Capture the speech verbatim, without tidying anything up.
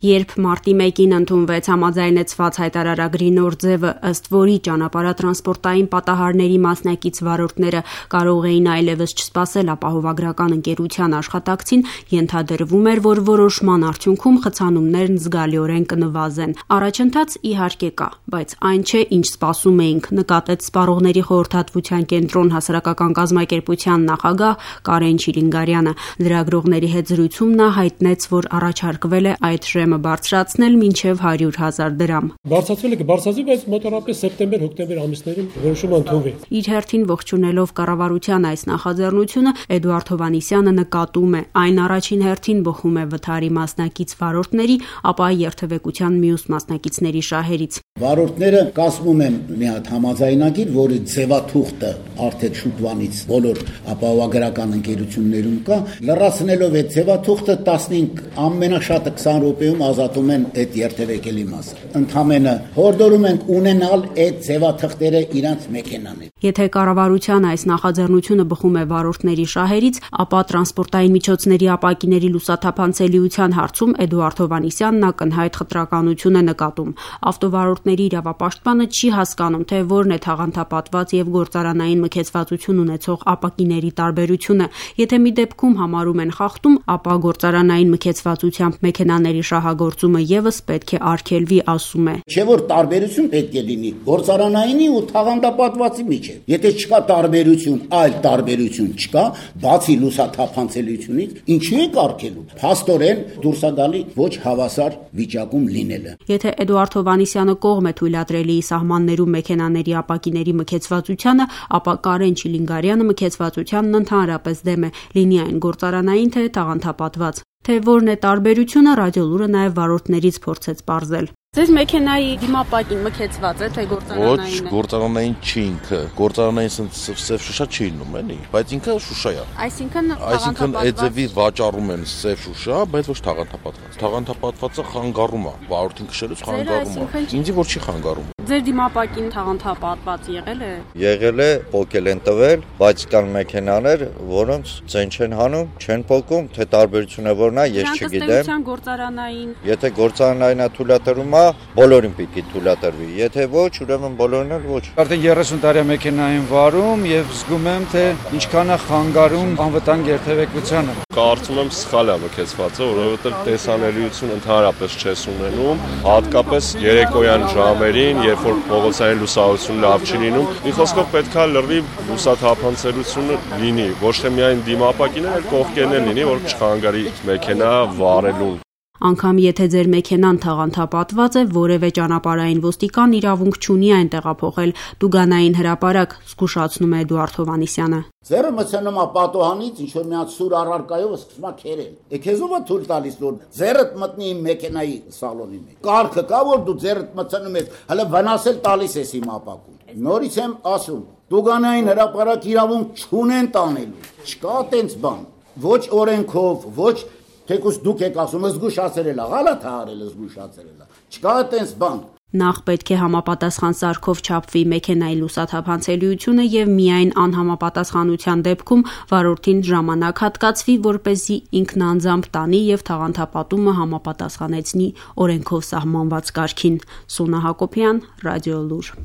Երբ մարտի մեկին ընդունվեց համաձայնեցված հայտարարագրի նոր ձևը, ըստ որի ճանապարհատրանսպորտային պատահարների մասնակից վարորդները կարող էին այլևս չսպասել ապահովագրական ընկերության աշխատակցին, ենթադրվում էր, որ որոշման արդյունքում խցանումներն զգալիորեն կնվազեն։ Առաջընթաց իհարկե կա, բայց այն չէ, ինչ սպասում էինք, նկատեց Սպառողների խորհրդատվության կենտրոն հասարակական կազմակերպության նախագահ Կարեն Չիլինգարյանը։ Լրագրողների հետ զրույցում նա հայտնեց, որ առաջարկվել է այդ շեմը բարձրացնել մինչև հարյուր հազար դրամ։ Բարձրացվել է կբարձրացվի, բայց մոտավորապես սեպտեմբեր-հոկտեմբեր ամիսներին որոշումը ընդունվի։ Իր հերթին ողջունելով կառավարության այս նախաձեռնությունը, Էդուարդ Հովհաննիսյանը նկատում է, այն առաջին հերթին բխում է վթարի մասնակից վարորդների, ապա երթևեկության մյուս մասնակիցների շահերից։ Վարորդները կազմում են մի հատ համաձայնագիր, որի ձևաթուղթը արդեն շուտվանից բոլոր ապահովագրական ընկերություններում կա, լրացնելով այդ ձևաթուղթը տասնհինգ ամենաշատը քսան րոպեում ազատում են այդ երթևեկելի մասը։ Ընդհանրապես հորդորում ենք ունենալ այդ ձևաթղթերը իրանց մեքենաների։ Եթե կառավարության այս նախաձեռնությունը բխում է վարորդների շահերից, ապա տրանսպորտային միջոցների ապակիների լուսաթափանցելիության հարցում Էդուարդ Հովհաննիսյանն ակնհայտ խտրականություն է նկատում։ Ավտովարորդների իրավապաշտպանը չի հասկանում, թե որն է թաղանթապատված եւ գործարանային մքեցվածություն ունեցող ապակիների տարբերությունը։ Եթե մի դեպքում համարում են խախտում, ապա գործարանային մքեցվածությամբ մեքենաների շահագործումը եւս պետք է արգելվի, ասում է։ Չէ որ տարբերություն պետք է լինի գործարանայինի ու թաղանթապատվածի միջեւ։ Եթե չկա տարբերություն, այլ տարբերություն չկա, բացի լուսաթափանցելիությունից, ինչու է արգելում։ Փաստորեն դուրս է գալի ոչ հավասար վիճակում լինելը։ Եթե Էդուարդ Հովհաննիսյանը կողմ է թույլատրելի սահմաններում մեքենաների ապակիների մքեցվածությանը, ապա Կարեն Չիլինգարյանը մքեցվածությանն ընդհանրապես դեմ է, լինի այն գործարանային թե թաղանթապատված։ Թե որն է տարբերությունը, Ռադիոլուրը նաև վարորդներից փորձեց պարզել։ Ձեզ մեքենայի դիմապակին մքեցված է, թե գործարանային է։ Ոչ, գործարանային չի ինքը։ Գործարանային սև շուշա չի լինում, էլի, բայց ինքը շուշա է։ Այսինքն Այսինքն այդ ձևի վաճառում են սև շուշա, բայց ոչ թաղանթապատված։ Թաղանթապատվածը խանգարում է, վարորդին քշելուց խանգարում է։ Ինձ որ չի խանգարում։ Ձեր դիմապակին թաղանթապատված եղել է։ Եղել է, փոկել են տվել, բայց կան մեքենաներ, որոնց ցեն չեն հանում, չեն փոկում, թե տարբերությունը որն է, ես չգիտեմ։ Գործարանային։ Եթե գործարանային է թույլատրվում է, բոլորին պիտի թույլատրվի, եթե ոչ, ուրեմն բոլորին էլ ոչ։ Արդեն երեսուն տարի մեքենային վարում եւ զգում եմ, թե ինչքան է խանգարում անվտանգ երթևեկությանը։ Կարծում եմ սխալ է մքեցվածը, որովհետեւ տեսանելիություն ընդհանրապես չես ունենում, հատկապես երեկոյան ժամերին, երբ որ փողոցային լուսավորություն լավ չի լինում, մի խոսքով պետքա լրիվ լուսաթափանցելիությունը լինի, ոչ թե միայն դիմապակին, այլ կողքերն էլ լինի, որ չխանգարի մեքենա վարելուն։ Անկամ եթե ձեր մեքենան թաղանթապատված է, որևէ ճանապարհային ոստիկան իրավունք չունի այն տեղափոխել Դուգանային հրապարակ, զգուշացնում է Էդուարդ Հովհաննիսյանը։ Ձերը մցնում է պատոհանից, ինչ որ մի հատ սուր առարկայով սկսում է քերել։ Էքեզով է թույլ տալիս որ ձերդ մտնի իմ մեքենայի սալոնի մեջ։ Կարգը կա որ դու ձերդ մցնում ես, հələ վնասել տալիս ես իմ ապակուն։ Նորից եմ ասում, Դուգանային հրապարակ իրավունք չունեն տանելու։ Չկա տենց բան։ Ոչ օրենքով, ոչ Թեկուս դուք եք ասում, զգուշացրել է, գալա թե արել զգուշացրել է։ Չկա այդպես բան։ Նախ պետք է համապատասխան սարքով չափվի մեքենայի լուսաթափանցելիությունը եւ միայն անհամապատասխանության դեպքում վարորդին ժամանակ հատկացվի, որպեսզի ինքն անձամբ տանի եւ թաղանթապատումը համապատասխանեցնի օրենքով սահմանված կարգին։ Սոնա Հակոբյան, Ռադիոլուր։